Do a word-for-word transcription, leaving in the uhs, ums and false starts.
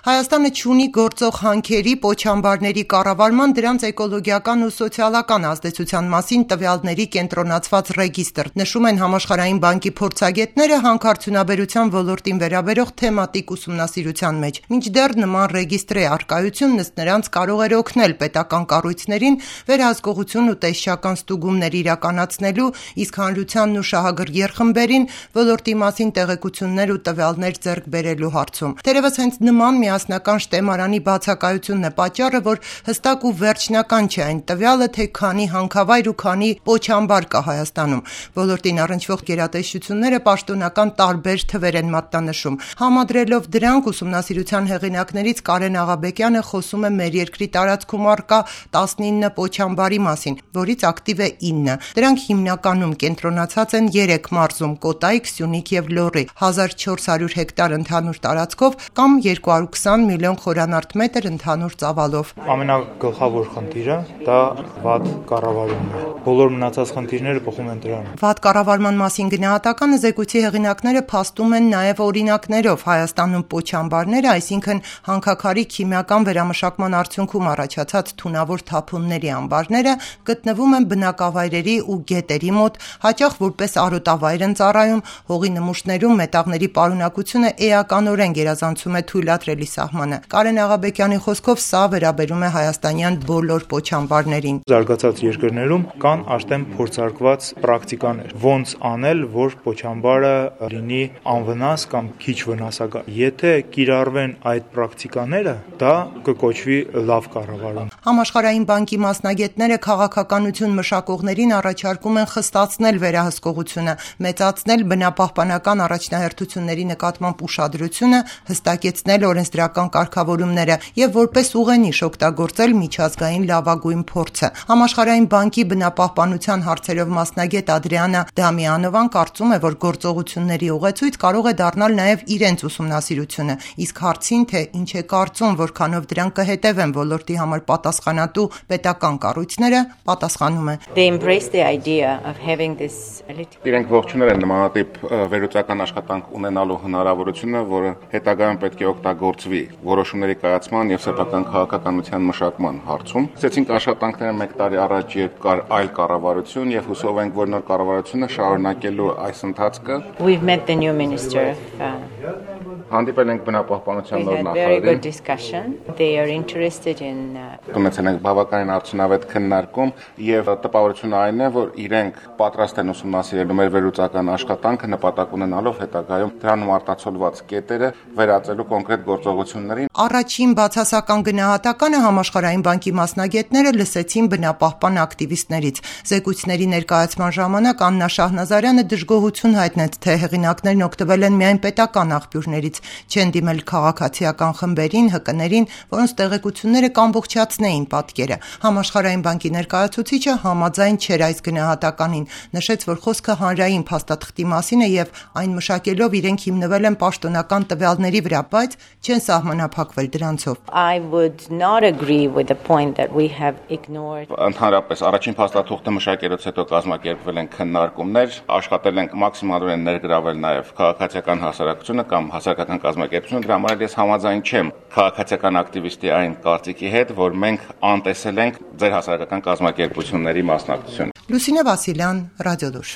Հայաստանը չունի գործող հանքերի, պոչամբարների կառավարման, դրանց էկոլոգիական ու սոցիալական ազդեցության մասին տվյալների կենտրոնացված ռեգիստր, նշում են Համաշխարհային բանկի փորձագետները հանքարդյունաբերության ոլորտին վերաբերող թեմատիկ ուսումնասիրության մեջ։ Մինչդեռ նման ռեգիստրի առկայությունն ըստ նրանց կարող էր օգնել պետական կառույցներին վերահսկողություն ու տեսչական ստուգումներ իրականացնելու, իսկ հանրությանն ու շահագրգիռ խմբերին ոլորտի մասին տեղեկություններ ու տվյալներ ձեռք բերելու հարցում։ Թերևս հենց նման միասնական շտեմարանի բացակայությունն է պատճառը, որ հստակ ու վերջնական չէ այն տվյալը, թե քանի հանքավայր ու քանի պոչամբար կա Հայաստանում։ Ոլորտին առնչվող գերատեսչությունները պաշտոնական տարբեր թվեր են մատնանշում։ Համադրելով դրանք, ուսումնասիրության հեղինակներից Կարեն Աղաբեկյանը խոսում է մեր երկրի տարածքում առկա տասնինը պոչամբարի մասին, որից ակտիվ է ինը։ Դրանք հիմնականում կենտրոնացած են երեք մարզում՝ Կոտայք, Սյունիք եւ Լոռի, հազար չորս հարյուր հեկտար ընդհանուր տարածքով կամ երկու հարյուր քսան միլիոն խորանարդ մետր ընդհանուր ծավալով։ Ամենագլխավոր խնդիրը դա վատ կառավարումն է։ Բոլոր մնացած խնդիրները բխում են դրան։ Վատ կառավարման մասին գնահատականը զեկույցի հեղինակները փաստում են նաև օրինակներով։ Հայաստանում պոչամբարները, այսինքն հանքաքարի քիմիական վերամշակման արդյունքում առաջացած թունավոր թափոնների ամբարները, գտնվում են բնակավայրերի ու գետերի մոտ, հաճախ որպես արոտավայր են ծառայում, հողի նմուշներում մետաղների պարունակությունը էականորեն գերազանցում է թույլատրելի սահմանը։ Կարեն Աղաբեկյանի խոսքով սա վերաբերում է հայաստանյան բոլոր պոչամբարներին։ Զարգացած երկրներում կան արդեն փորձարկված պրակտիկաներ, ոնց անել, որ պոչամբարը լինի անվնաս կամ քիչ վնասակար։ Եթե կիրառվեն այդ պրակտիկաները, դա կկոչվի լավ կառավարում։ Համաշխարհային բանկի մասնագետները քաղաքականություն մշակողներին առաջարկում են խստացնել վերահսկողությունը, մեծացնել բնապահպանական առաջնահերթությունների նկատմամբ ուշադրությունը, հստակեցնել օրենսդրական կարգավորումները եւ որպես ուղենիշ օգտագործել միջազգային լավագույն փորձը։ Համաշխարհային բանկի բնապահպանության հարցերով մասնագետ Ադրիանա Դամիանովան կարծում է, որ գործողությունների ուղեցույց կարող է դառնալ նաեւ իրենց ուսումնասիրությունը, իսկ հարցին, թե ինչ է կարծում, որքանով դրան կհետևեն ոլորտի համար պատասխանատու պետական կառույցները, պատասխանում է. Իրենք ողջունել են նմանատիպ վերլուծական աշխատանք ունենալու հնարավորությունը, որը հետագայում պետք է օգտագործվի որոշումների կայացման եւ սեփական քաղաքականության մշակման հարցում։ Սկսեցինք աշխատանքները մեկ տարի առաջ, երբ կար այլ կառավարություն, եւ հուսով ենք, որ նոր կառավարությունը շարունակելու այս ընթացքը։ Հանդիպել ենք բնապահպանության նոր նախարարին։ Ունեցել ենք բավականին արդյունավետ քննարկում եւ տպավորությունը այն է, որ իրենք պատրաստ են ուսումնասիրելու մեր վերլուծական աշխատանքը նպատակ ունենալով հետագայում դրանում արտացոլված կետերը վերածելու կոնկրետ գործողություններին։ Առաջին բացասական գնահատականը Համաշխարհային բանկի մասնագետները լսեցին բնապահպան ակտիվիստներից։ Զեկույցների ներկայացման ժամանակ Աննա Շահնազարյանը դժգոհություն հայտնեց, թե հեղինակներն օգտվել են միայն պետական աղբյուրներից, չեն դիմել քաղաքացիական խմբերին, ՀԿ-ներին, որոնց տեղեկությունները կամբողջացնեին պատկերը։ Համաշխարհային բանկի ներկայացուցիչը համաձայն չէր այս գնահատականին, նշեց, որ խոսքը հանրային փաստաթղթի մասին է եւ այն մշակելով իրենք հիմնվել են պաշտոնական տվյալների վրա, բայց չեն սահմանափակվել դրանցով։ Ընդհանրապես առաջին փաստաթուղթը մշակելուց հետո կազմակերպվել են քննարկումներ, աշխատել ենք մաքսիմալորեն ներգրավել նաեւ քաղաքացիական հասարակությունը կամ հասարակական կազմակերպությունը, դրա համար ես համաձայն չեմ քաղաքացիական ակտիվիստի այն կարծիքի հետ, որ մենք անտեսել ենք ձեր հասարակական կազմակերպությունների մասնակցությունը։ Լուսինե Վասիլյան, Ռադիոլուր։